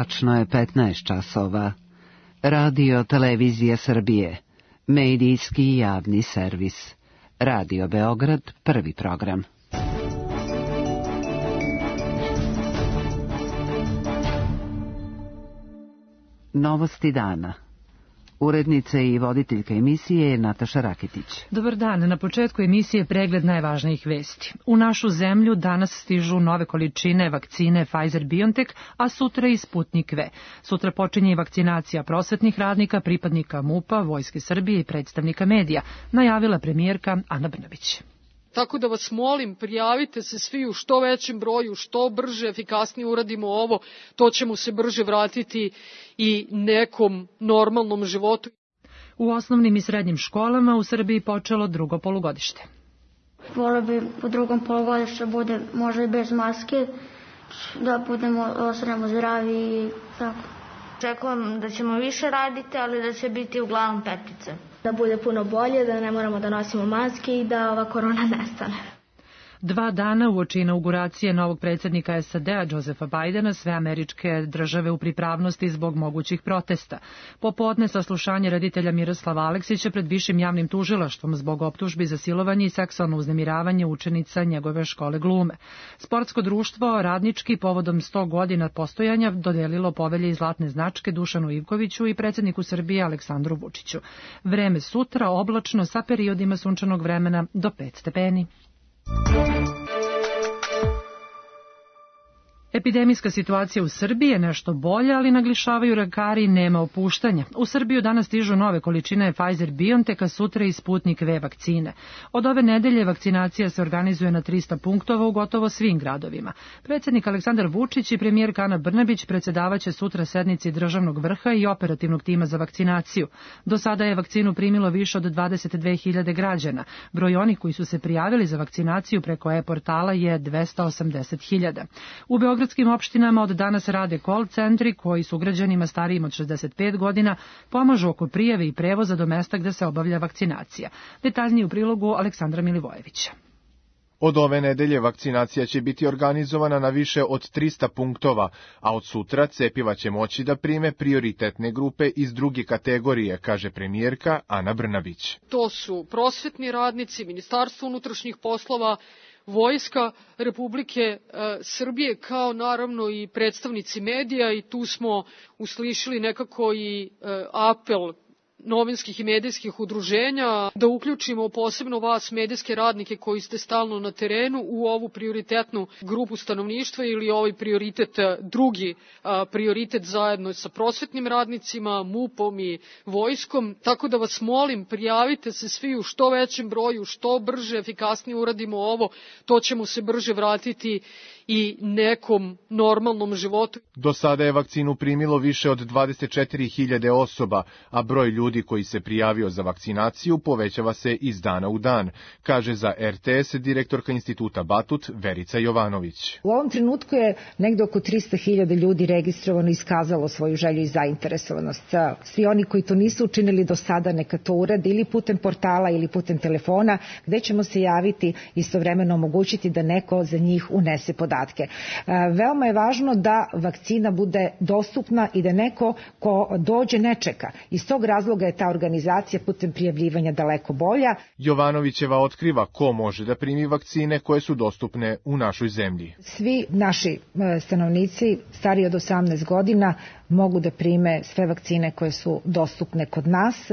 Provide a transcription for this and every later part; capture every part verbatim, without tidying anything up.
Tačno je petnaest časova. Radio Televizija Srbije. Medijski javni servis. Radio Beograd, prvi program. Novosti dana. Urednica i voditeljka emisije je Nataša Rakitić. Dobar dan. Na početku emisije pregled najvažnijih vesti. U našu zemlju danas stižu nove količine vakcine Pfizer-BioNTech, a sutra i Sputnik V. Sutra počinje i vakcinacija prosvetnih radnika, pripadnika MUP-a, Vojske Srbije i predstavnika medija, najavila premijerka Ana Brnabić. Tako da vas molim, prijavite se svi u što većem broju, što brže, efikasnije uradimo ovo, to ćemo se brže vratiti i nekom normalnom životu. U osnovnim i srednjim školama u Srbiji počelo drugo polugodište. Volio bi u drugom polugodištu bude možda i bez maske, da budemo, ostanemo zdravi i tako. Očekujem da ćemo više raditi, ali da će biti uglavnom petice. Da bude puno bolje, da ne moramo da nosimo maske i da ova korona nestane. Dva dana uoči inauguracije novog predsjednika S A D-a Josepha Bidena, sve američke države u pripravnosti zbog mogućih protesta. Popodne saslušanje reditelja Miroslava Aleksića pred višim javnim tužilaštvom zbog optužbi za silovanje i seksualno uznemiravanje učenica njegove škole glume. Sportsko društvo Radnički povodom sto godina postojanja dodelilo povelje i zlatne značke Dušanu Ivkoviću i predsjedniku Srbije Aleksandru Vučiću. Vreme sutra oblačno sa periodima sunčanog vremena do pet stepeni. Epidemijska situacija u Srbiji je nešto bolja, ali naglašavaju lekari nema opuštanja. U Srbiju danas stižu nove količine Pfizer-BioNTech, a sutra i Sputnik V vakcine. Od ove nedelje vakcinacija se organizuje na trista punktova u gotovo svim gradovima. Predsjednik Aleksandar Vučić i premijerka Ana Brnabić predsjedavaće sutra sednici državnog vrha i operativnog tima za vakcinaciju. Do sada je vakcinu primilo više od dvadeset dve hiljade građana. Broj onih koji su se prijavili za vakcinaciju preko e-portala je dvesta osamdeset hiljada. U Beogradu U beogradskim opštinama od danas rade call centri koji su građanima starijim od šezdeset pet godina pomažu oko prijave i prevoza do mesta gde se obavlja vakcinacija. Detaljnije u prilogu Aleksandra Milivojevića. Od ove nedelje vakcinacija će biti organizovana na više od trista punktova, a od sutra cepiva će moći da prime prioritetne grupe iz druge kategorije, kaže premijerka Ana Brnabić. To su prosvetni radnici, Ministarstvo unutrašnjih poslova, Vojska Republike e, Srbije, kao naravno i predstavnici medija, i tu smo uslišili nekako i e, apel novinskih i medijskih udruženja da uključimo posebno vas medijske radnike koji ste stalno na terenu u ovu prioritetnu grupu stanovništva ili ovaj prioritet, drugi a, prioritet zajedno sa prosvetnim radnicima, MUP-om i vojskom. Tako da vas molim, prijavite se svi u što većem broju, što brže, efikasnije uradimo ovo, to ćemo se brže vratiti i nekom normalnom životu. Do sada je vakcinu primilo više od dvadeset četiri hiljade osoba, a broj ljudi koji se prijavio za vakcinaciju povećava se iz dana u dan, kaže za R T S direktorka Instituta Batut Verica Jovanović. U ovom trenutku je negde oko trista hiljada ljudi registrovano i iskazalo svoju želju i zainteresovanost. Svi oni koji to nisu učinili do sada neka to urade ili putem portala ili putem telefona, gde ćemo se javiti istovremeno omogućiti da neko za njih unese podatke. Veoma je važno da vakcina bude dostupna i da neko ko dođe ne čeka. Iz tog razloga je ta organizacija putem prijavljivanja daleko bolja. Jovanovićeva otkriva ko može da primi vakcine koje su dostupne u našoj zemlji. Svi naši stanovnici stariji od osamnaest godina mogu da prime sve vakcine koje su dostupne kod nas.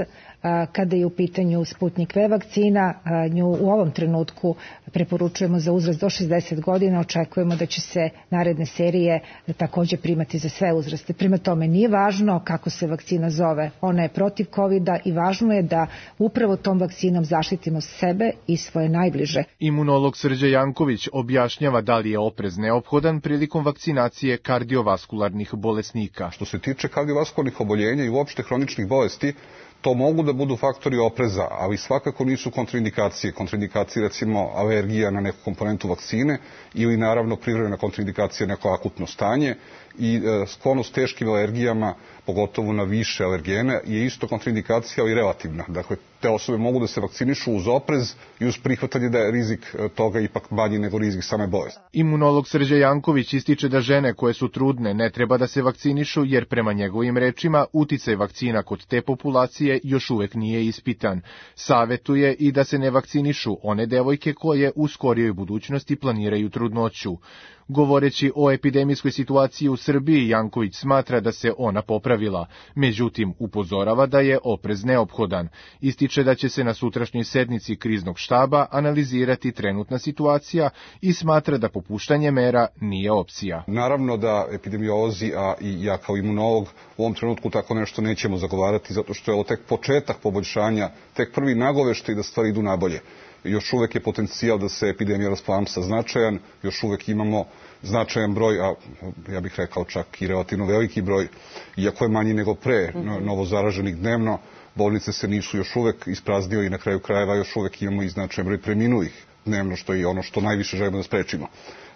Kada je u pitanju Sputnik V vakcina, nju u ovom trenutku preporučujemo za uzrast do šezdeset godina, očekujemo da će se naredne serije takođe primati za sve uzraste. Prema tome nije važno kako se vakcina zove, ona je protiv kovida i važno je da upravo tom vakcinom zaštitimo sebe i svoje najbliže. Imunolog Srđa Janković objašnjava da li je oprez neophodan prilikom vakcinacije kardiovaskularnih bolesnika. Što se tiče kardiovaskularnih oboljenja i uopšte hroničnih bolesti, to mogu da budu faktori opreza, ali svakako nisu kontraindikacije. Kontraindikacije, recimo, alergija na neku komponentu vakcine ili naravno privremena kontraindikacija na neko akutno stanje i e, sklonost teškim alergijama, pogotovo na više alergene, je isto kontraindikacija, ali relativna. Dakle, te osobe mogu da se vakcinišu uz oprez i uz prihvatanje da je rizik toga ipak manji nego rizik same bolesti. Imunolog Srđe Janković ističe da žene koje su trudne ne treba da se vakcinišu jer prema njegovim rečima uticaj vakcina kod te populacije još uvek nije ispitan. Savetuje i da se ne vakcinišu one devojke koje u skorijoj budućnosti planiraju trudnoću. Govoreći o epidemijskoj situaciji u Srbiji, Janković smatra da se ona popravila, međutim upozorava da je oprez neophodan. Ističe da će se na sutrašnjoj sednici kriznog štaba analizirati trenutna situacija i smatra da popuštanje mera nije opcija. Naravno da epidemiolozi, a i ja kao imunolog u ovom trenutku tako nešto nećemo zagovarati, zato što je ovo tek početak poboljšanja, tek prvi nagoveštaj da stvari idu nabolje. Još uvek je potencijal da se epidemija rasplamsa značajan, još uvek imamo značajan broj, a ja bih rekao čak i relativno veliki broj, iako je manji nego pre novo zaraženih dnevno, bolnice se nisu još uvek ispraznile i na kraju krajeva još uvek imamo i značajan broj preminulih dnevno, što je ono što najviše želimo da sprečimo.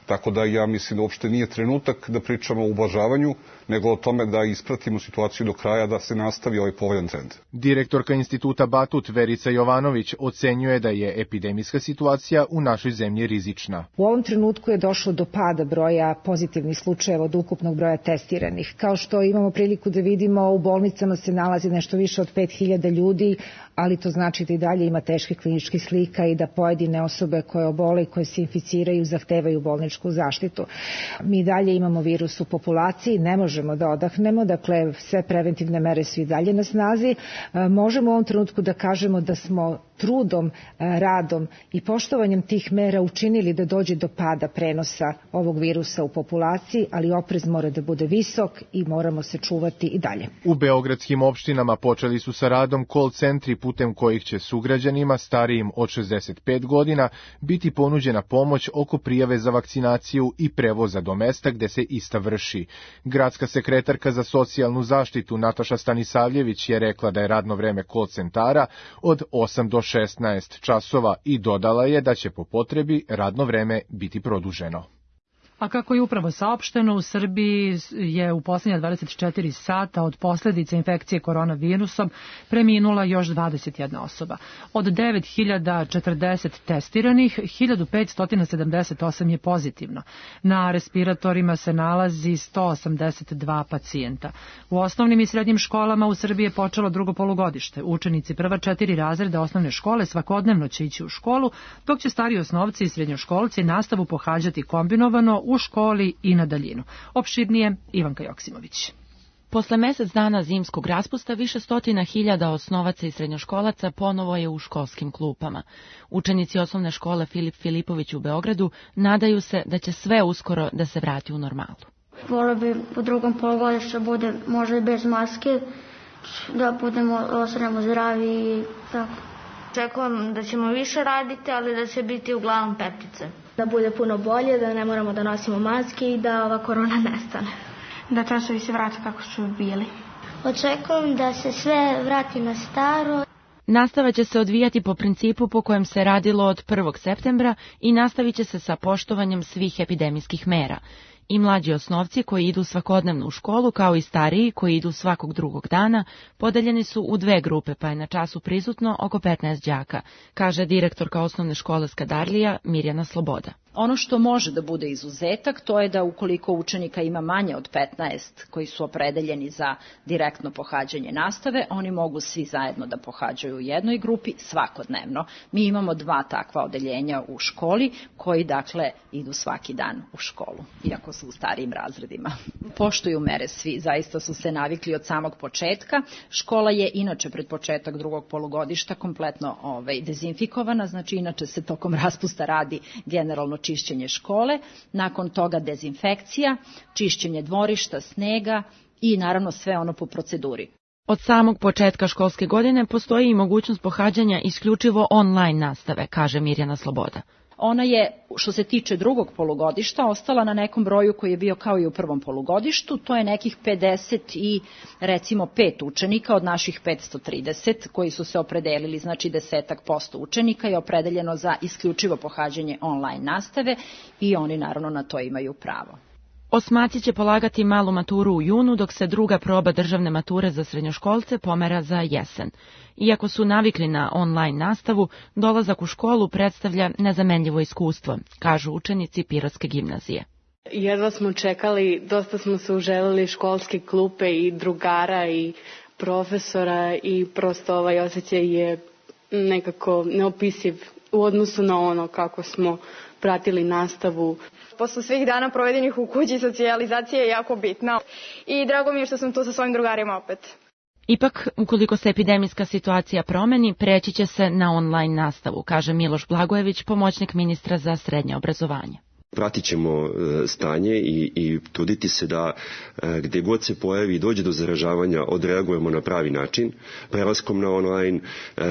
Tako da ja mislim da uopšte nije trenutak da pričamo o ublažavanju, nego o tome da ispratimo situaciju do kraja, da se nastavi ovaj povoljan trend. Direktorka instituta Batut Verica Jovanović ocenjuje da je epidemijska situacija u našoj zemlji rizična. U ovom trenutku je došlo do pada broja pozitivnih slučajeva od ukupnog broja testiranih. Kao što imamo priliku da vidimo, u bolnicama se nalazi nešto više od pet hiljada ljudi, ali to znači da i dalje ima teških kliničkih slika i da pojedine osobe koje obole i koje se inficiraju zahtevaju bolničku zaštitu. Mi dalje imamo virus u populaciji, ne možemo da odahnemo, dakle sve preventivne mere su i dalje na snazi. Možemo u ovom trenutku da kažemo da smo trudom, radom i poštovanjem tih mera učinili da dođe do pada prenosa ovog virusa u populaciji, ali oprez mora da bude visok i moramo se čuvati i dalje. U beogradskim opštinama počeli su sa radom call centri putem kojih će sugrađanima starijim od šezdeset pet godina biti ponuđena pomoć oko prijave za vakcinaciju i prevoza do mesta gde se ista vrši. Gradska sekretarka za socijalnu zaštitu Nataša Stanisavljević je rekla da je radno vreme call centara od osam do šesnaest časova i dodala je da će po potrebi radno vreme biti produženo. A kako je upravo saopšteno, u Srbiji je u posljednja dvadeset četiri sata od posljedica infekcije koronavirusom preminula još dvadeset jedna osoba. Od devet hiljada četrdeset testiranih, hiljadu petsto sedamdeset osam je pozitivno. Na respiratorima se nalazi sto osamdeset dva pacijenta. U osnovnim i srednjim školama u Srbiji je počelo drugo polugodište. Učenici prva četiri razreda osnovne škole svakodnevno će ići u školu, dok će stariji osnovci i srednjoškolci nastavu pohađati kombinovano u školi i na daljinu. Opširnije Ivanka Joksimović. Posle mesec dana zimskog raspusta više stotina hiljada osnovaca i srednjoškolaca ponovo je u školskim klupama. Učenici osnovne škole Filip Filipović u Beogradu nadaju se da će sve uskoro da se vrati u normalu. Volio bi u drugom polugodištu bude možda i bez maske, da budemo ostanemo zdravi i tako. Očekujem da ćemo više raditi, ali da će biti uglavnom petice. Da bude puno bolje, da ne moramo da nosimo maske i da ova korona nestane. Da časovi se vrate kako su bili. Očekujem da se sve vrati na staro. Nastava će se odvijati po principu po kojem se radilo od prvog septembra i nastavit će se sa poštovanjem svih epidemijskih mera. I mlađi osnovci koji idu svakodnevno u školu, kao i stariji koji idu svakog drugog dana, podeljeni su u dve grupe, pa je na času prisutno oko petnaest đaka, kaže direktorka osnovne škole Skadarlija Mirjana Sloboda. Ono što može da bude izuzetak, to je da ukoliko učenika ima manje od petnaest koji su opredeljeni za direktno pohađanje nastave, oni mogu svi zajedno da pohađaju u jednoj grupi svakodnevno. Mi imamo dva takva odeljenja u školi koji dakle idu svaki dan u školu, iako su u starijim razredima. Poštuju mere svi, zaista su se navikli od samog početka. Škola je inače pred početak drugog polugodišta kompletno ovaj, dezinfikovana, znači inače se tokom raspusta radi generalno čišćenje škole, nakon toga dezinfekcija, čišćenje dvorišta, snega i naravno sve ono po proceduri. Od samog početka školske godine postoji i mogućnost pohađanja isključivo online nastave, kaže Mirjana Sloboda. Ona je, što se tiče drugog polugodišta, ostala na nekom broju koji je bio kao i u prvom polugodištu, to je nekih pedeset i recimo pet učenika od naših petsto trideset koji su se opredelili, znači desetak posto učenika je opredeljeno za isključivo pohađanje online nastave i oni naravno na to imaju pravo. Osmaci će polagati malu maturu u junu, dok se druga proba državne mature za srednjoškolce pomera za jesen. Iako su navikli na online nastavu, dolazak u školu predstavlja nezamenljivo iskustvo, kažu učenici Pirotske gimnazije. Jedva smo čekali, dosta smo se uželili školske klupe i drugara i profesora i prosto ovaj osjećaj je nekako neopisiv u odnosu na ono kako smo pratili nastavu. Posle svih dana provedenih u kući, socijalizacija je jako bitna i drago mi je što sam tu sa svojim drugarima opet. Ipak, ukoliko se epidemijska situacija promeni, preći će se na online nastavu, kaže Miloš Blagojević, pomoćnik ministra za srednje obrazovanje. Pratit ćemo stanje i, i truditi se da gde god se pojavi i dođe do zaražavanja odreagujemo na pravi način, prelaskom na online,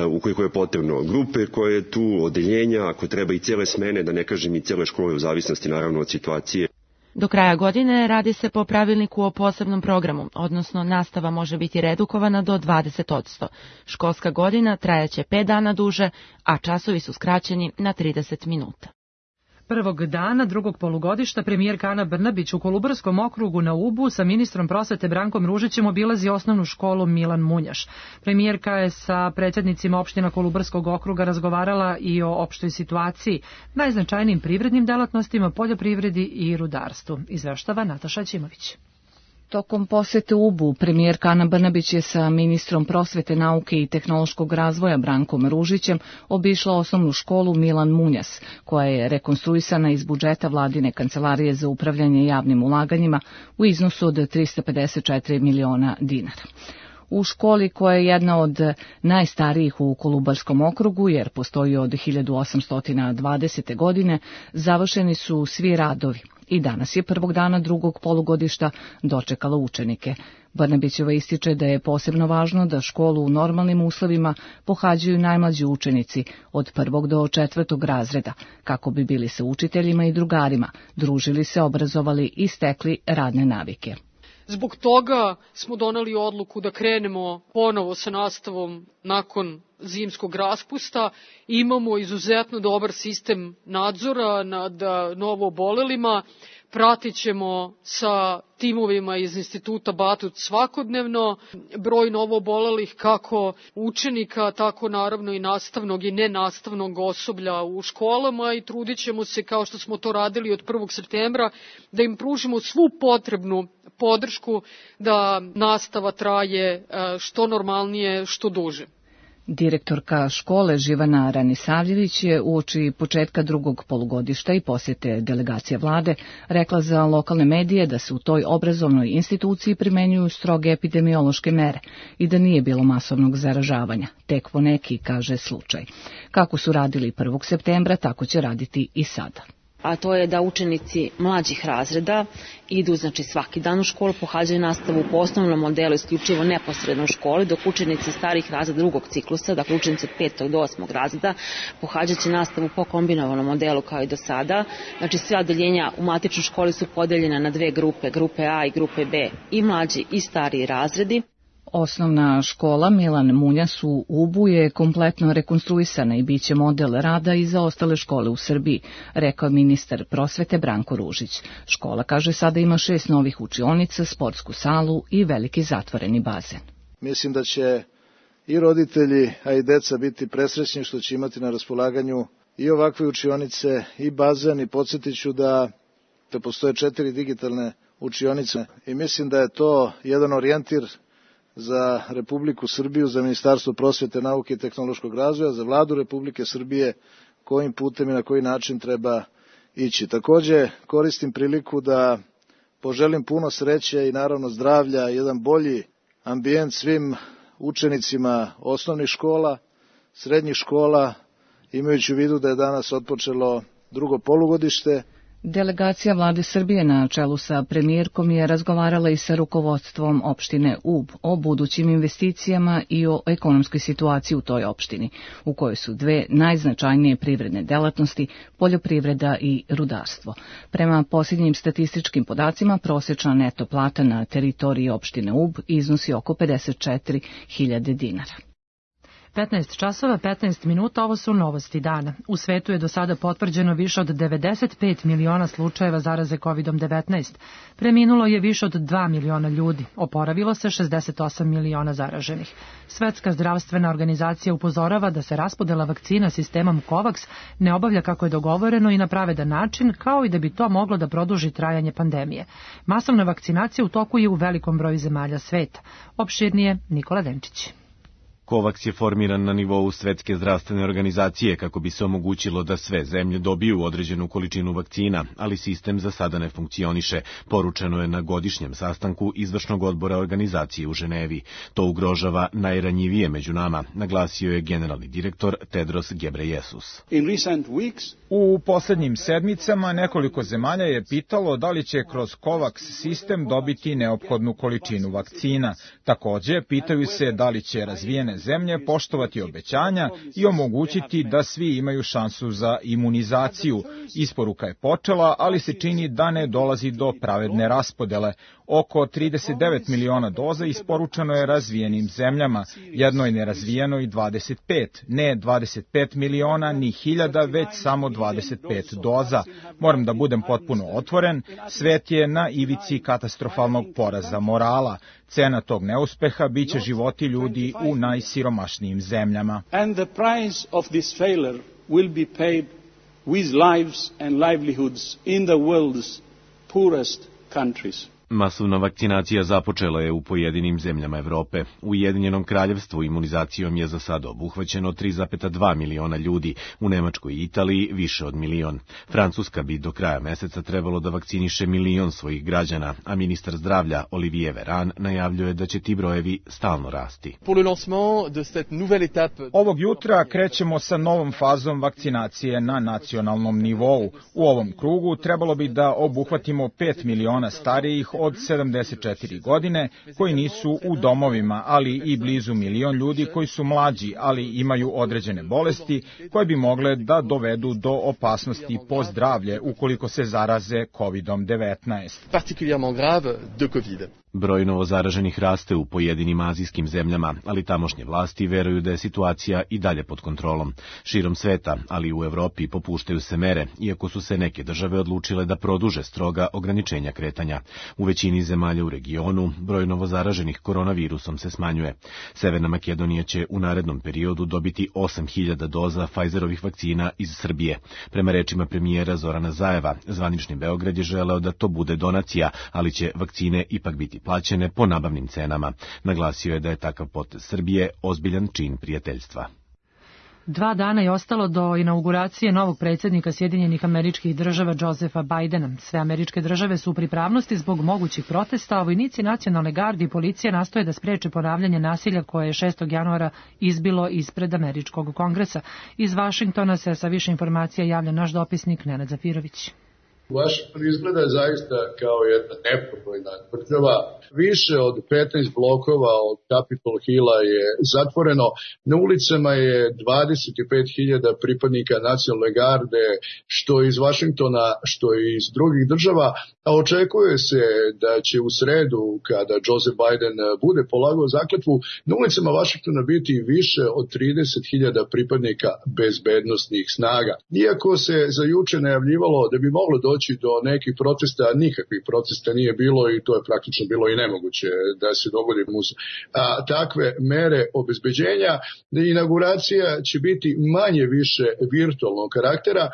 ukoliko je potrebno grupe koje je tu, odeljenja, ako treba i cijele smene, da ne kažem i cijele škole u zavisnosti naravno od situacije. Do kraja godine radi se po pravilniku o posebnom programu, odnosno nastava može biti redukovana do dvadeset posto. Školska godina trajaće pet dana duže, a časovi su skraćeni na trideset minuta. Prvog dana drugog polugodišta premijerka Ana Brnabić u Kolubarskom okrugu na Ubu sa ministrom prosvete Brankom Ružićem obilazi osnovnu školu Milan Munjaš. Premijerka je sa predsjednicima opština Kolubarskog okruga razgovarala i o opštoj situaciji, najznačajnijim privrednim delatnostima, poljoprivredi i rudarstvu. Izveštava Nataša Ćimović. Tokom posete Ubu, premijerka Ana Brnabić je sa ministrom prosvete, nauke i tehnološkog razvoja Brankom Ružićem obišla osnovnu školu Milan Munjas, koja je rekonstruisana iz budžeta vladine kancelarije za upravljanje javnim ulaganjima u iznosu od trista pedeset četiri miliona dinara. U školi, koja je jedna od najstarijih u Kolubarskom okrugu, jer postoji od hiljadu osamsto dvadesete. godine, završeni su svi radovi i danas je prvog dana drugog polugodišta dočekala učenike. Brnabićeva ističe da je posebno važno da školu u normalnim uslovima pohađaju najmlađi učenici od prvog do četvrtog razreda, kako bi bili sa učiteljima i drugarima, družili se, obrazovali i stekli radne navike. Zbog toga smo doneli odluku da krenemo ponovo sa nastavom nakon zimskog raspusta. Imamo izuzetno dobar sistem nadzora nad novoobolelima. Pratit ćemo sa timovima iz Instituta Batut svakodnevno broj novoobolelih kako učenika, tako naravno i nastavnog i nenastavnog osoblja u školama i trudit ćemo se, kao što smo to radili od prvog septembra, da im pružimo svu potrebnu podršku da nastava traje što normalnije, što duže. Direktorka škole Živana Ranisavljević je uoči početka drugog polugodišta i posjete delegacije vlade rekla za lokalne medije da se u toj obrazovnoj instituciji primenjuju stroge epidemiološke mere i da nije bilo masovnog zaražavanja, tek po neki, kaže, slučaj. Kako su radili prvog septembra, tako će raditi i sada. A to je da učenici mlađih razreda idu znači svaki dan u školu, pohađaju nastavu po osnovnom modelu isključivo neposredno u školi, dok učenici starih razreda drugog ciklusa, dakle učenici od petog do osmog razreda, pohađat će nastavu po kombinovanom modelu kao i do sada. Znači sve odeljenja u matičnoj školi su podeljena na dve grupe, grupe A i grupe B, i mlađi i stariji razredi. Osnovna škola Milan Munjas u Ubu je kompletno rekonstruisana i bit će model rada i za ostale škole u Srbiji, rekao ministar prosvete Branko Ružić. Škola, kaže, sada ima šest novih učionica, sportsku salu i veliki zatvoreni bazen. Mislim da će i roditelji, a i deca biti presrećni što će imati na raspolaganju i ovakve učionice i bazen, i podsjetit ću da, da postoje četiri digitalne učionice i mislim da je to jedan orijentir za Republiku Srbiju, za Ministarstvo prosvete, nauke i tehnološkog razvoja, za Vladu Republike Srbije, kojim putem i na koji način treba ići. Takođe, koristim priliku da poželim puno sreće i naravno zdravlja, jedan bolji ambijent svim učenicima osnovnih škola, srednjih škola, imajući u vidu da je danas otpočelo drugo polugodište. Delegacija vlade Srbije na čelu sa premijerkom je razgovarala i sa rukovodstvom opštine Ub o budućim investicijama i o ekonomskoj situaciji u toj opštini, u kojoj su dve najznačajnije privredne delatnosti, poljoprivreda i rudarstvo. Prema posljednjim statističkim podacima, prosečna neto plata na teritoriji opštine Ub iznosi oko pedeset četiri hiljade dinara. petnaest časova petnaest minuta, ovo su novosti dana. U svetu je do sada potvrđeno više od devedeset pet miliona slučajeva zaraze kovid devetnaest. Preminulo je više od dva miliona ljudi. Oporavilo se šezdeset osam miliona zaraženih. Svetska zdravstvena organizacija upozorava da se raspodela vakcina sistemom COVAX ne obavlja kako je dogovoreno i na pravedan način, kao i da bi to moglo da produži trajanje pandemije. Masovna vakcinacija u toku je u velikom broju zemalja sveta. Opširnije Nikola Denčić. COVAX je formiran na nivou Svetske zdravstvene organizacije kako bi se omogućilo da sve zemlje dobiju određenu količinu vakcina, ali sistem za sada ne funkcioniše, poručeno je na godišnjem sastanku izvršnog odbora organizacije u Ženevi. To ugrožava najranjivije među nama, naglasio je generalni direktor Tedros Ghebreyesus. U poslednjim sedmicama nekoliko zemalja je pitalo da li će kroz COVAX sistem dobiti neophodnu količinu vakcina. Takođe, pitaju se da li će razvijene zemlje poštovati obećanja i omogućiti da svi imaju šansu za imunizaciju. Isporuka je počela, ali se čini da ne dolazi do pravedne raspodele. Oko trideset devet miliona doza isporučeno je razvijenim zemljama, jednoj nerazvijenoj dvadeset pet, ne dvadeset pet miliona ni hiljada, već samo dvadeset pet doza. Moram da budem potpuno otvoren, svet je na ivici katastrofalnog poraza morala. Cena tog neuspeha biće životi ljudi u najsiromašnijim zemljama. And the price of this failure will be paid with lives and livelihoods in the world's poorest countries. Masovna vakcinacija započela je u pojedinim zemljama Evrope. U Ujedinjenom kraljevstvu imunizacijom je za sada obuhvaćeno tri zarez dva miliona ljudi, u Nemačkoj i Italiji više od milion. Francuska bi do kraja meseca trebalo da vakciniše milion svojih građana, a ministar zdravlja Olivier Véran najavljuje da će ti brojevi stalno rasti. Ovog jutra krećemo sa novom fazom vakcinacije na nacionalnom nivou. U ovom krugu trebalo bi da obuhvatimo pet miliona starijih od sedamdeset četiri godine koji nisu u domovima, ali i blizu milion ljudi koji su mlađi, ali imaju određene bolesti koje bi mogle da dovedu do opasnosti po zdravlje ukoliko se zaraze kovid devetnaest. Broj novozaraženih raste u pojedinim azijskim zemljama, ali tamošnje vlasti veruju da je situacija i dalje pod kontrolom. Širom sveta, ali i u Evropi, popuštaju se mere, iako su se neke države odlučile da produže stroga ograničenja kretanja. U većini zemalja u regionu broj novozaraženih koronavirusom se smanjuje. Severna Makedonija će u narednom periodu dobiti osam hiljada doza Pfizerovih vakcina iz Srbije. Prema rečima premijera Zorana Zajeva, zvanični Beograd je želeo da to bude donacija, ali će vakcine ipak biti plaćene po nabavnim cenama. Naglasio je da je takav potez Srbije ozbiljan čin prijateljstva. Dva dana je ostalo do inauguracije novog predsjednika Sjedinjenih Američkih Država Josepha Bidena. Sve američke države su u pripravnosti zbog mogućih protesta, a vojnici nacionalne garde i policije nastoje da spreče ponavljanje nasilja koje je šestog januara izbilo ispred američkog kongresa. Iz Vašingtona se sa više informacija javlja naš dopisnik Nenad Zafirović. Washington izgleda zaista kao jedna neprobojna država. Više od petnaest blokova od Capitol Hilla je zatvoreno. Na ulicama je dvadeset pet hiljada pripadnika nacionalne garde, što iz Washingtona, što iz drugih država, a očekuje se da će u sredu, kada Joseph Biden bude polagao zakletvu, na ulicama Washingtona biti više od trideset hiljada pripadnika bezbednosnih snaga. Iako se za juče najavljivalo da bi moglo doći do nekih protesta, nikakvih protesta nije bilo i to je praktično bilo i nemoguće da se dogodi uz a, takve mere obezbeđenja. Inauguracija će biti manje više virtualnog karaktera,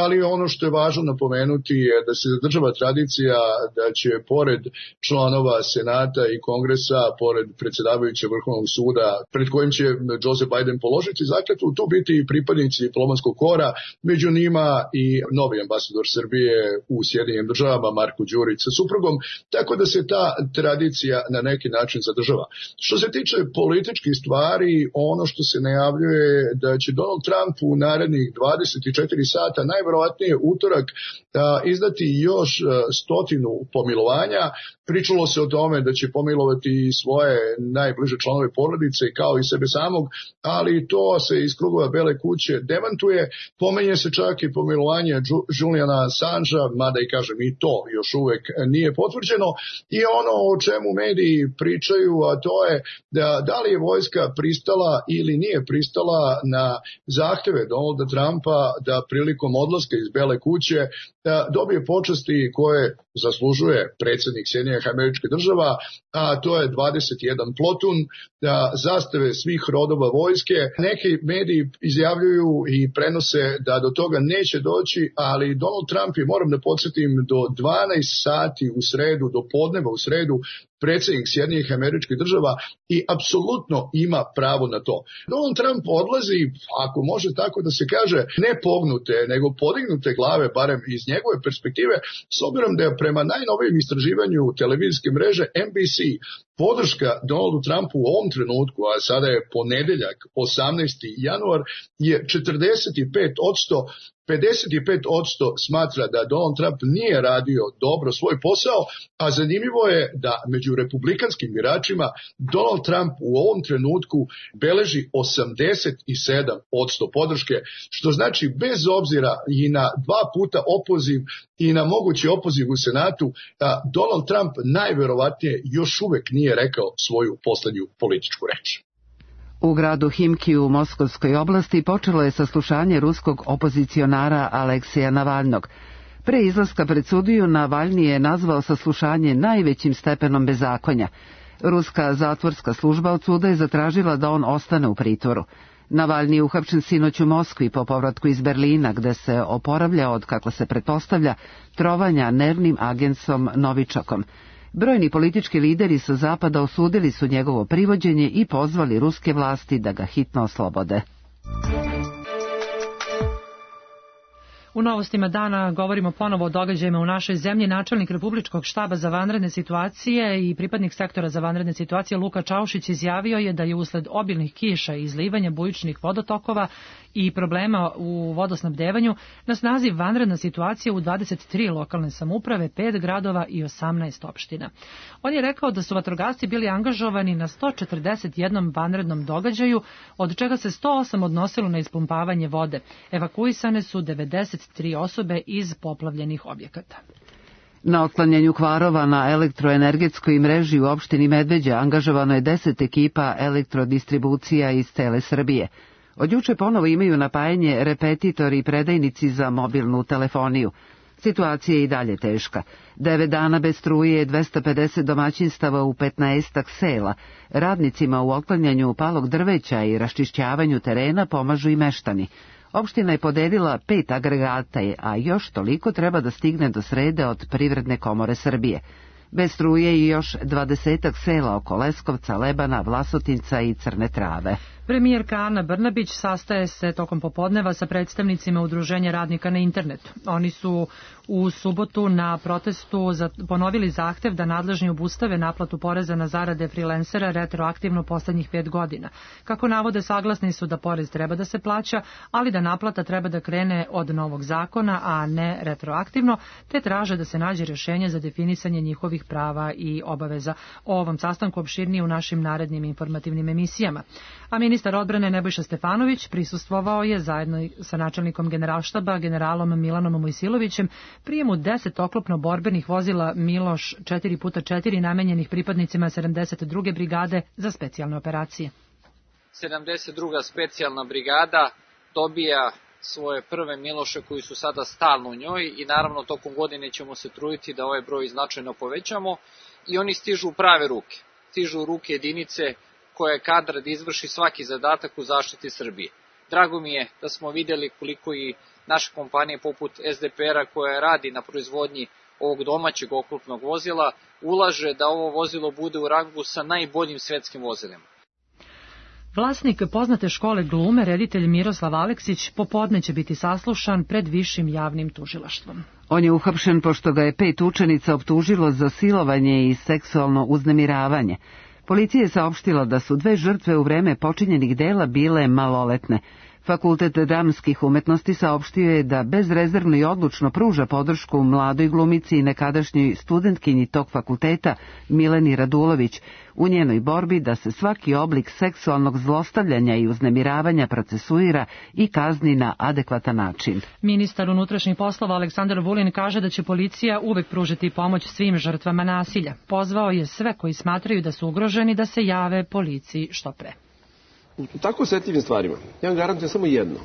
ali ono što je važno napomenuti je da se zadržava tradicija da će pored članova Senata i Kongresa, pored predsjedavajućeg Vrhovnog suda pred kojim će Joseph Biden položiti zakletvu, tu biti i pripadnici diplomatskog kora, među njima i novi ambasador Srbije u Sjedinjenim državama Marko Đurić sa suprugom, tako da se ta tradicija na neki način zadržava. Što se tiče političkih stvari, ono što se najavljuje da će Donald Trump u narednih dvadeset četiri sata, najverovatnije utorak, izdati još stotinu pomilovanja. Pričalo se o tome da će pomilovati svoje najbliže članove porodice kao i sebe samog, ali to se iz krugova Bele kuće demantuje. Pomenje se čak i pomilovanje Juliana Assangea, mada i kažem i to još uvek nije potvrđeno. I ono o čemu mediji pričaju, a to je da, da li je vojska pristala ili nije pristala na zahteve Donalda Trumpa da prilikom odlaska iz Bele kuće da dobije počasti koje zaslužuje predsjednik Sjedinjenih Američkih Država, a to je dvadeset jedan plotun, da zastave svih rodova vojske. Neki mediji izjavljuju i prenose da do toga neće doći, ali Donald Trump je, moram da podsjetim, do dvanaest sati u sredu, do podneva u sredu, predsjednik Sjedinjenih Američkih Država i apsolutno ima pravo na to. Donald Trump odlazi, ako može tako da se kaže, ne pognute, nego podignute glave, barem iz njegove perspektive, s obzirom da je prema najnovijem istraživanju televizijske mreže N B C podrška Donaldu Trumpu u ovom trenutku, a sada je ponedeljak, osamnaesti januar, je četrdeset pet posto, pedeset pet posto smatra da Donald Trump nije radio dobro svoj posao, a zanimljivo je da među republikanskim biračima Donald Trump u ovom trenutku beleži osamdeset sedam posto podrške, što znači bez obzira i na dva puta opoziv i na mogući opoziv u Senatu, da Donald Trump najverovatnije još uvek nije rekao svoju poslednju političku reč. U gradu Himki u Moskovskoj oblasti počelo je saslušanje ruskog opozicionara Aleksija Navalnog. Pre izlaska pred sudiju Navalni je nazvao saslušanje najvećim stepenom bezakonja. Ruska zatvorska služba od suda je zatražila da on ostane u pritvoru. Navalni je uhapšen sinoć u Moskvi po povratku iz Berlina, gde se oporavlja od, kako se pretpostavlja, trovanja nervnim agensom Novičokom. Brojni politički lideri sa zapada osudili su njegovo privođenje i pozvali ruske vlasti da ga hitno oslobode. U novostima dana govorimo ponovo o događajima u našoj zemlji. Načelnik Republičkog štaba za vanredne situacije i pripadnik sektora za vanredne situacije Luka Čaušić izjavio je da je usled obilnih kiša i izlivanja bujičnih vodotokova i problema u vodosnabdevanju na snazi vanredna situacija u dvadeset tri lokalne samouprave, pet gradova i osamnaest opština. On je rekao da su vatrogasci bili angažovani na sto četrdeset jedan vanrednom događaju, od čega se sto osam odnosilo na ispumpavanje vode. Evakuisane su devedeset tri osobe iz poplavljenih objekata. Na otklanjanju kvarova na elektroenergetskoj mreži u opštini Medveđa angažovano je deset ekipa elektrodistribucija iz cele Srbije. Od juče ponovo imaju napajanje repetitori i predajnici za mobilnu telefoniju. Situacija je i dalje teška. Devet dana bez struje je dvesta pedeset domaćinstava u petnaestak sela. Radnicima u otklanjanju palog drveća i raščišćavanju terena pomažu i meštani. Opština je podelila pet agregata, a još toliko treba da stigne do srede od Privredne komore Srbije. Bez struje i još dvadesetak sela oko Leskovca, Lebana, Vlasotinca i Crne Trave. Premijerka Ana Brnabić sastaje se tokom popodneva sa predstavnicima Udruženja radnika na internetu. Oni su u subotu na protestu ponovili zahtev da nadležni obustave naplatu poreza na zarade freelancera retroaktivno poslednjih pet godina. Kako navode, saglasni su da porez treba da se plaća, ali da naplata treba da krene od novog zakona, a ne retroaktivno, te traže da se nađe rješenje za definisanje njihovih prava i obaveza. O ovom sastanku opširnije u našim narednim informativnim emisijama. A ministar odbrane Nebojša Stefanović prisustvovao je zajedno sa načelnikom generalštaba generalom Milanom Mojsilovićem prijemu deset oklopno-borbenih vozila Miloš četiri puta četiri namenjenih pripadnicima sedamdeset druge brigade za specijalne operacije. sedamdeset druga specijalna brigada dobija svoje prve Miloše koji su sada stalno u njoj i naravno tokom godine ćemo se truditi da ovaj broj značajno povećamo i oni stižu u prave ruke. Stižu u ruke jedinice koja je kadra da izvrši svaki zadatak u zaštiti Srbije. Drago mi je da smo vidjeli koliko i naše kompanije poput S D P R-a koja radi na proizvodnji ovog domaćeg oklopnog vozila ulaže da ovo vozilo bude u rangu sa najboljim svetskim vozilima. Vlasnik poznate škole glume, reditelj Miroslav Aleksić, popodne će biti saslušan pred višim javnim tužilaštvom. On je uhapšen pošto ga je pet učenica optužilo za silovanje i seksualno uznemiravanje. Policija je saopštila da su dve žrtve u vreme počinjenih dela bile maloletne. Fakultet dramskih umetnosti saopštio je da bezrezervno i odlučno pruža podršku mladoj glumici i nekadašnjoj studentkinji tog fakulteta Mileni Radulović u njenoj borbi da se svaki oblik seksualnog zlostavljanja i uznemiravanja procesuira i kazni na adekvatan način. Ministar unutrašnjih poslova Aleksandar Vulin kaže da će policija uvek pružiti pomoć svim žrtvama nasilja. Pozvao je sve koji smatraju da su ugroženi da se jave policiji što pre. U tako osetljivim stvarima, ja vam garantujem samo jedno.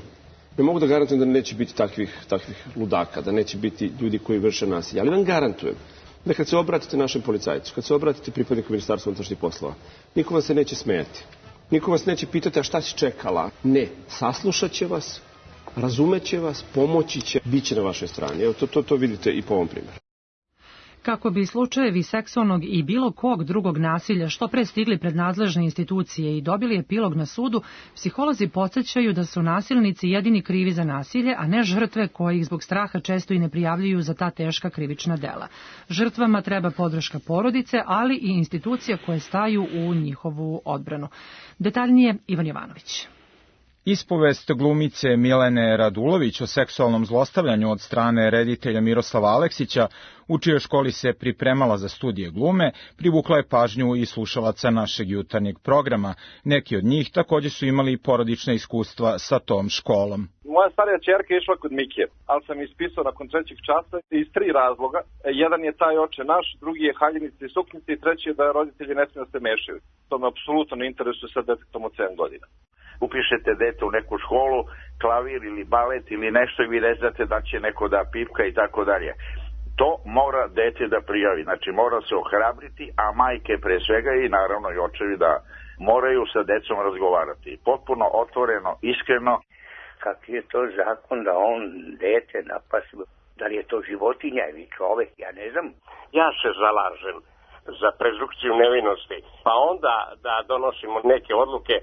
Ne mogu da garantujem da neće biti takvih, takvih ludaka, da neće biti ljudi koji vrše nasilje, ali vam garantujem da kad se obratite našem policajcu, kad se obratite pripadniku Ministarstva unutrašnjih poslova, niko vas se neće smejati. Niko vas neće pitati a šta si čekala. Ne, saslušat će vas, razumeće vas, pomoći će, bit će na vašoj strani. Evo, to, to, to vidite i po ovom primjeru. Kako bi slučajevi seksualnog i bilo kog drugog nasilja što pre stigli pred nadležne institucije i dobili epilog na sudu, psiholozi podsjećaju da su nasilnici jedini krivi za nasilje, a ne žrtve koje ih zbog straha često i ne prijavljuju za ta teška krivična dela. Žrtvama treba podrška porodice, ali i institucija koje staju u njihovu odbranu. Detaljnije Ivan Jovanović. Ispovest glumice Milene Radulović o seksualnom zlostavljanju od strane reditelja Miroslava Aleksića, u čijoj školi se pripremala za studije glume, privukla je pažnju i slušalaca našeg jutarnjeg programa. Neki od njih također su imali porodična iskustva sa tom školom. Moja starija ćerka je išla kod Mikije, ali sam ispisao nakon trećeg časa iz tri razloga. Jedan je taj oče naš, drugi je haljinice i suknice i treći je da roditelji ne smiju da se mešaju. To me apsolutno ne interesuje sa detetom od sedam godina. Upišete dete u neku školu, klavir ili balet ili nešto i vi ne znate da će neko da pipka i tako dalje. To mora dete da prijavi, znači mora se ohrabriti, a majke pre svega i naravno i očevi da moraju sa decom razgovarati. Potpuno otvoreno, iskreno. Kakvi je to zakon da on dete napasi, da li je to životinja ili čovek, ja ne znam. Ja se zalažem za prezukciju nevinosti, pa onda da donosimo neke odluke.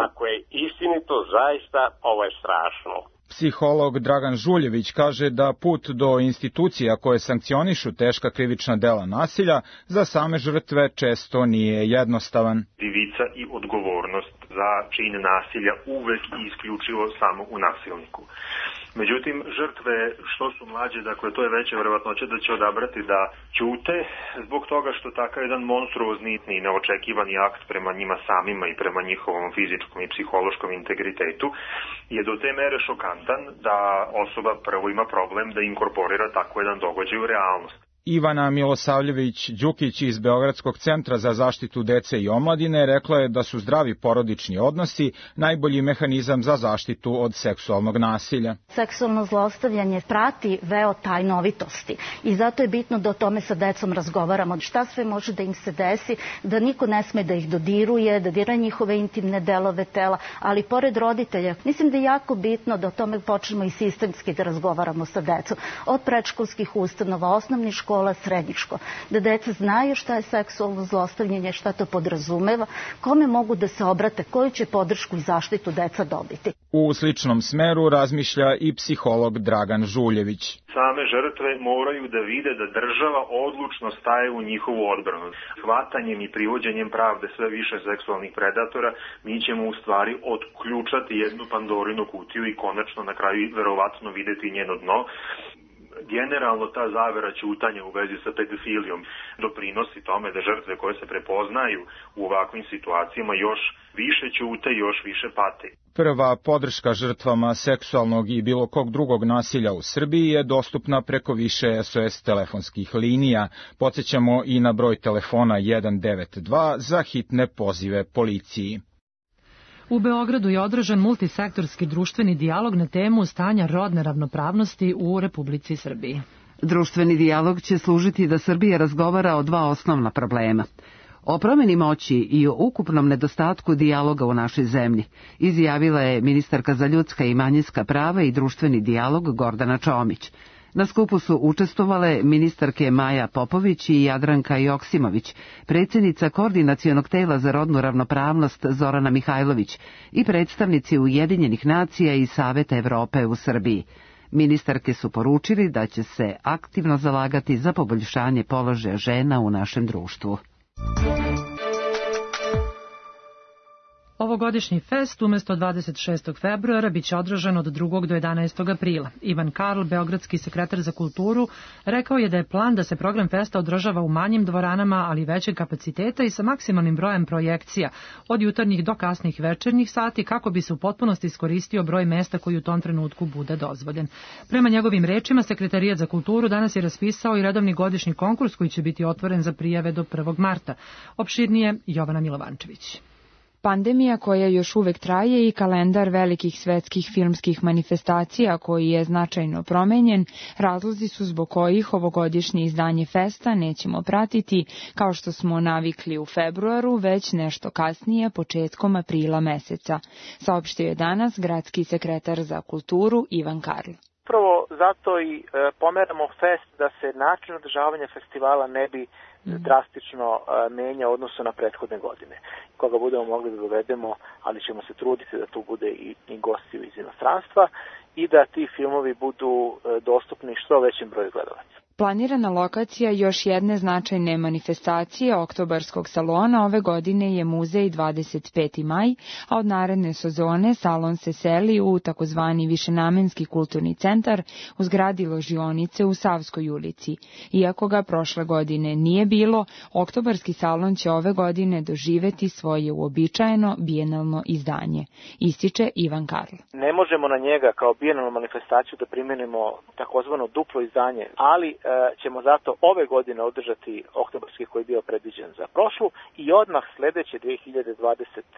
Ako je istinito, zaista ovo je strašno. Psiholog Dragan Žuljević kaže da put do institucija koje sankcionišu teška krivična dela nasilja za same žrtve često nije jednostavan. Krivica i odgovornost za čin nasilja uvek i isključivo samo u nasilniku. Međutim, žrtve što su mlađe, dakle to je veća verovatnoća da će odabrati da ćute zbog toga što takav jedan monstruozni i neočekivani akt prema njima samima i prema njihovom fizičkom i psihološkom integritetu je do te mere šokantan da osoba prvo ima problem da inkorporira tako jedan događaj u realnost. Ivana Milosavljević-Đukić iz Beogradskog centra za zaštitu dece i omladine rekla je da su zdravi porodični odnosi najbolji mehanizam za zaštitu od seksualnog nasilja. Seksualno zlostavljanje prati veo tajnovitosti i zato je bitno da o tome sa decom razgovaramo. Šta sve može da im se desi, da niko ne sme da ih dodiruje, da dira njihove intimne delove tela, ali pored roditelja. Mislim da je jako bitno da o tome počnemo i sistemski da razgovaramo sa decom. Od predškolskih ustanova, osnovnih škola, škola, srednjih škola, da deca znaju šta je seksualno zlostavljanje, šta to podrazumeva, kome mogu da se obrate, koju će podršku i zaštitu deca dobiti. U sličnom smeru razmišlja i psiholog Dragan Žuljević. Same žrtve moraju da vide da država odlučno staje u njihovu odbranu. Hvatanjem i privođenjem pravde sve više seksualnih predatora mi ćemo u stvari otključati jednu Pandorinu kutiju i konačno na kraju verovatno videti njeno dno. Generalno ta zavera ćutanja u vezi sa pedofilijom doprinosi tome da žrtve koje se prepoznaju u ovakvim situacijama još više ćute i još više pate. Prva podrška žrtvama seksualnog i bilo kog drugog nasilja u Srbiji je dostupna preko više S O S telefonskih linija. Podsjećamo i na broj telefona jedan devet dva za hitne pozive policiji. U Beogradu je održan multisektorski društveni dijalog na temu stanja rodne ravnopravnosti u Republici Srbiji. Društveni dijalog će služiti da Srbija razgovara o dva osnovna problema. O promeni moći i o ukupnom nedostatku dijaloga u našoj zemlji, izjavila je ministarka za ljudska i manjinska prava i društveni dijalog Gordana Čomić. Na skupu su učestvovale ministarke Maja Popović i Jadranka Joksimović, predsjednica Koordinacionog tela za rodnu ravnopravnost Zorana Mihajlović i predstavnici Ujedinjenih nacija i Saveta Evrope u Srbiji. Ministarke su poručili da će se aktivno zalagati za poboljšanje položaja žena u našem društvu. Ovo Ovogodišnji fest umesto dvadeset šestog februara biće održan od drugog do jedanaestog aprila. Ivan Karl, beogradski sekretar za kulturu, rekao je da je plan da se program festa održava u manjim dvoranama, ali većeg kapaciteta i sa maksimalnim brojem projekcija, od jutarnjih do kasnih večernjih sati, kako bi se u potpunosti iskoristio broj mesta koji u tom trenutku bude dozvoljen. Prema njegovim rečima, Sekretarijat za kulturu danas je raspisao i redovni godišnji konkurs koji će biti otvoren za prijave do prvog marta. Opširnije Jovana Milovančević. Pandemija koja još uvek traje i kalendar velikih svetskih filmskih manifestacija koji je značajno promenjen, razlozi su zbog kojih ovogodišnje izdanje festa nećemo pratiti kao što smo navikli u februaru, već nešto kasnije, početkom aprila meseca, saopštio je danas gradski sekretar za kulturu Ivan Karl. Upravo zato i e, pomeramo fest da se način održavanja festivala ne bi drastično e, menja u odnosu na prethodne godine. Koga budemo mogli da dovedemo, ali ćemo se truditi da tu bude i, i gosti iz inostranstva i da ti filmovi budu e, dostupni što većem broju gledalaca. Planirana lokacija još jedne značajne manifestacije oktobarskog salona ove godine je muzej dvadeset peti maj, a od naredne sezone salon se seli u takozvani višenamenski kulturni centar u zgradi ložionice u Savskoj ulici. Iako ga prošle godine nije bilo, oktobarski salon će ove godine doživeti svoje uobičajeno bijenalno izdanje, ističe Ivan Karl. Ne možemo na njega kao bijenalnu manifestaciju da primenimo takozvano duplo izdanje, ali ćemo zato ove godine održati oktobarski koji je bio predviđen za prošlu i odmah sledeće dve hiljade dvadeset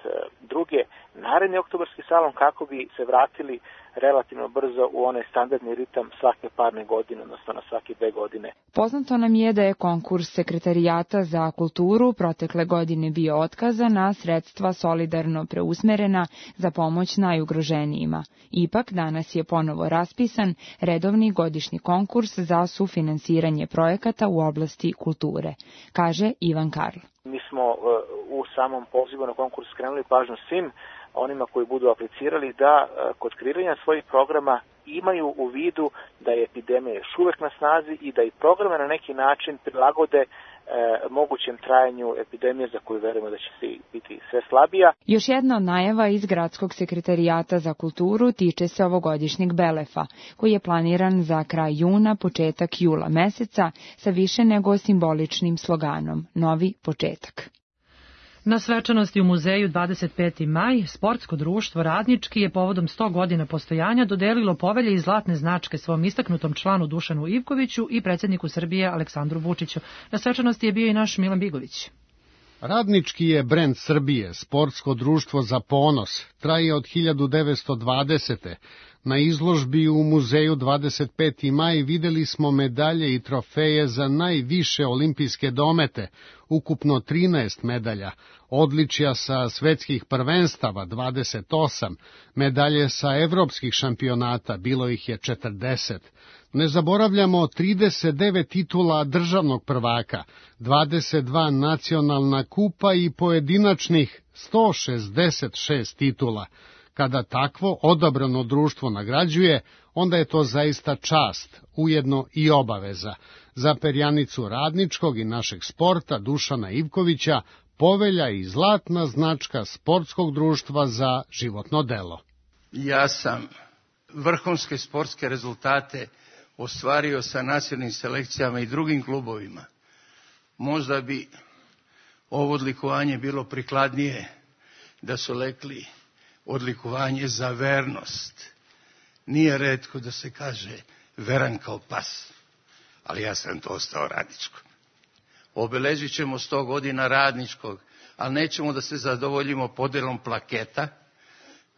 druge naredni oktobarski salon kako bi se vratili relativno brzo u onaj standardni ritam svake parne godine, odnosno na svake dve godine. Poznato nam je da je konkurs Sekretarijata za kulturu protekle godine bio otkazan, a sredstva solidarno preusmerena za pomoć najugroženijima. Ipak danas je ponovo raspisan redovni godišnji konkurs za sufinansiranje projekata u oblasti kulture, kaže Ivan Karl. Mi smo u samom pozivu na konkurs skrenuli pažnju svim onima koji budu aplicirali da kod kreiranja svojih programa imaju u vidu da je epidemija još uvek na snazi i da i programe na neki način prilagode e, mogućem trajanju epidemije za koju verujemo da će se biti sve slabija. Još jedna od najava iz Gradskog sekretarijata za kulturu tiče se ovogodišnjeg Belefa, koji je planiran za kraj juna, početak jula meseca sa više nego simboličnim sloganom Novi početak. Na svečanosti u muzeju dvadeset peti maj, sportsko društvo Radnički je povodom sto godina postojanja dodelilo povelje i zlatne značke svom istaknutom članu Dušanu Ivkoviću i predsjedniku Srbije Aleksandru Vučiću. Na svečanosti je bio i naš Milan Bigović. Radnički je brend Srbije, sportsko društvo za ponos, traje od hiljadu devetsto dvadesete. Na izložbi u muzeju dvadeset peti maj videli smo medalje i trofeje za najviše olimpijske domete, ukupno trinaest medalja, odličja sa svetskih prvenstava dvadeset osam, medalje sa evropskih šampionata, bilo ih je četrdeset. Ne zaboravljamo trideset devet titula državnog prvaka, dvadeset dva nacionalna kupa i pojedinačnih sto šezdeset šest titula. Kada takvo odabrano društvo nagrađuje, onda je to zaista čast, ujedno i obaveza. Za perjanicu Radničkog i našeg sporta Dušana Ivkovića povelja i zlatna značka sportskog društva za životno delo. Ja sam vrhunske sportske rezultate ostvario sa nacionalnim selekcijama i drugim klubovima. Možda bi ovo odlikovanje bilo prikladnije da su lekli odlikovanje za vernost. Nije retko da se kaže veran kao pas, ali ja sam to ostao Radničko. Obeležit ćemo sto godina Radničkog, ali nećemo da se zadovoljimo podelom plaketa,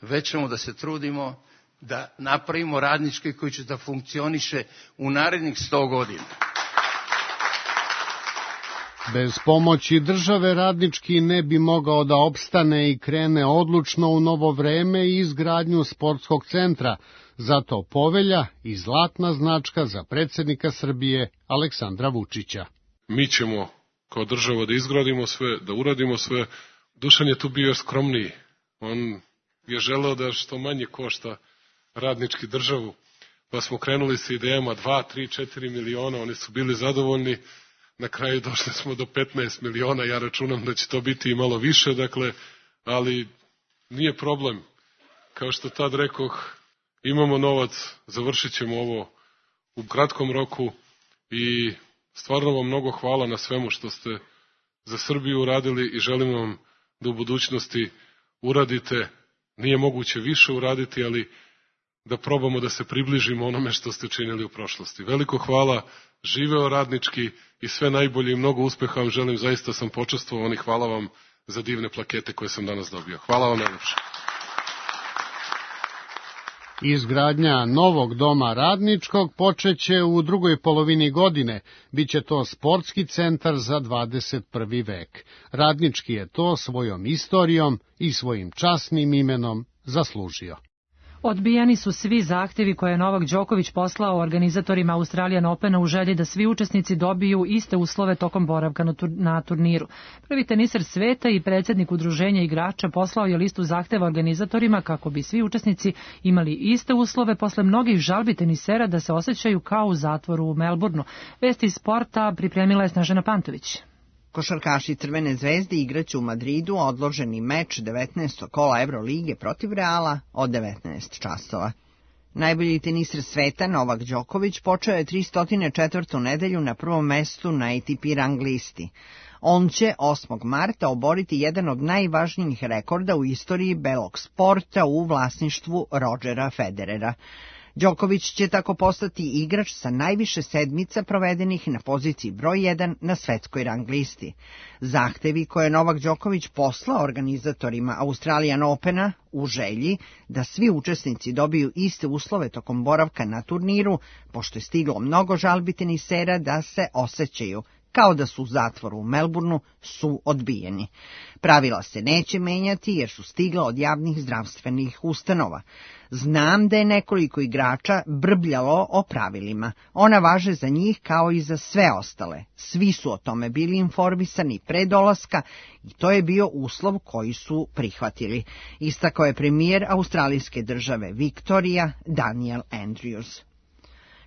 već ćemo da se trudimo da napravimo Radnički koji će da funkcioniše u narednih sto godina. Bez pomoći države Radnički ne bi mogao da opstane i krene odlučno u novo vreme i izgradnju sportskog centra, zato povelja i zlatna značka za predsjednika Srbije Aleksandra Vučića. Mi ćemo kao država da izgradimo sve, da uradimo sve. Dušan je tu bio skromniji. On je želeo da što manje košta Radnički državu, pa smo krenuli sa idejama dva, tri, četiri miliona, oni su bili zadovoljni. Na kraju došli smo do petnaest miliona, ja računam da će to biti i malo više, dakle, ali nije problem. Kao što tad rekoh, imamo novac, završit ćemo ovo u kratkom roku i stvarno vam mnogo hvala na svemu što ste za Srbiju uradili i želim vam da u budućnosti uradite, nije moguće više uraditi, ali da probamo da se približimo onome što ste činili u prošlosti. Veliko hvala, živeo Radnički i sve najbolje i mnogo uspeha vam želim, zaista sam počastvovan i hvala vam za divne plakete koje sam danas dobio. Hvala vam najlepše. Izgradnja novog doma Radničkog počeće u drugoj polovini godine. Biće to sportski centar za dvadeset prvi vek. Radnički je to svojom istorijom i svojim časnim imenom zaslužio. Odbijeni su svi zahtevi koje je Novak Đoković poslao organizatorima Australian Opena u želji da svi učesnici dobiju iste uslove tokom boravka na turniru. Prvi teniser sveta i predsjednik udruženja igrača poslao je listu zahteva organizatorima kako bi svi učesnici imali iste uslove posle mnogih žalbi tenisera da se osjećaju kao u zatvoru u Melbourneu. Vesti iz sporta pripremila je Snežana Pantović. Košarkaši Crvene zvezde igraće u Madridu odloženi meč devetnaestog kola Evrolige protiv Reala od devetnaest časova. Najbolji teniser sveta Novak Đoković počeo je tristo četvrtu nedelju na prvom mestu na A T P rang listi. On će osmog marta oboriti jedan od najvažnijih rekorda u istoriji belog sporta u vlasništvu Rodgera Federera. Đoković će tako postati igrač sa najviše sedmica provedenih na poziciji broj jedan na svetskoj rang listi. Zahtevi koje je Novak Đoković poslao organizatorima Australian Opena u želji da svi učesnici dobiju iste uslove tokom boravka na turniru, pošto je stiglo mnogo žalbi tenisera da se osjećaju kao da su u zatvoru u Melbourneu, su odbijeni. Pravila se neće menjati jer su stigla od javnih zdravstvenih ustanova. Znam da je nekoliko igrača brbljalo o pravilima. Ona važe za njih kao i za sve ostale. Svi su o tome bili informisani pre dolaska i to je bio uslov koji su prihvatili. Istakao je premijer australijske države Viktorija Daniel Andrews.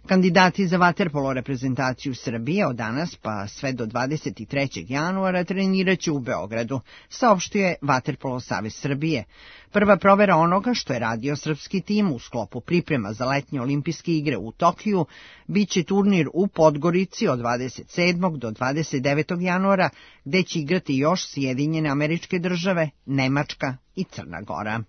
Kandidati za vaterpolo reprezentaciju Srbije od danas pa sve do dvadeset trećeg januara treniraće u Beogradu, saopštio je Vaterpolo savez Srbije. Prva provera onoga što je radio srpski tim u sklopu priprema za letnje olimpijske igre u Tokiju biće turnir u Podgorici od dvadeset sedmog do dvadeset devetog januara, gde će igrati još Sjedinjene Američke Države, Nemačka i Crna Gora.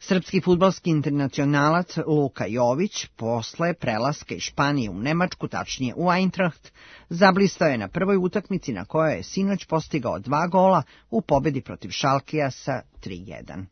Srpski fudbalski internacionalac Luka Jović posle prelaska iz Španije u Nemačku, tačnije u Eintracht, zablistao je na prvoj utakmici na kojoj je sinoć postigao dva gola u pobedi protiv Šalkija sa tri jedan.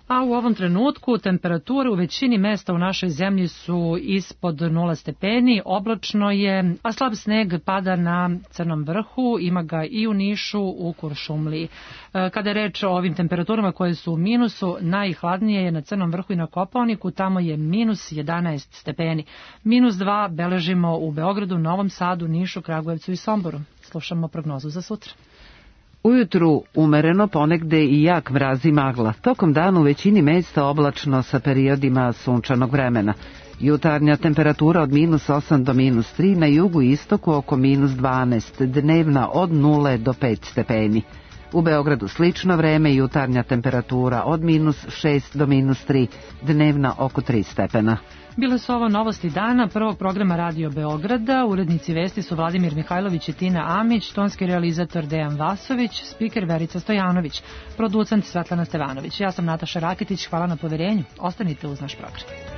A u ovom trenutku temperature u većini mesta u našoj zemlji su ispod nula stepeni, oblačno je, a slab sneg pada na Crnom vrhu, ima ga i u Nišu, u Kuršumliji. Kada je reč o ovim temperaturama koje su u minusu, najhladnije je na Crnom vrhu i na Kopaoniku, tamo je minus jedanaest stepeni. Minus dva beležimo u Beogradu, Novom Sadu, Nišu, Kragujevcu i Somboru. Slušamo prognozu za sutra. Ujutru umereno, ponegde i jak mraz i magla. Tokom dana u većini mesta oblačno sa periodima sunčanog vremena. Jutarnja temperatura od minus osam do minus tri, na jugu i istoku oko minus dvanaest, dnevna od nula do pet stepeni. U Beogradu slično vreme, jutarnja temperatura od minus šest do minus tri, dnevna oko tri stepena. Bile su ovo novosti dana prvog programa Radio Beograda. Urednici vesti su Vladimir Mihajlović i Tina Amić, tonski realizator Dejan Vasović, spiker Verica Stojanović, producent Svetlana Stevanović. Ja sam Nataša Rakitić, hvala na poverenju. Ostanite uz naš program.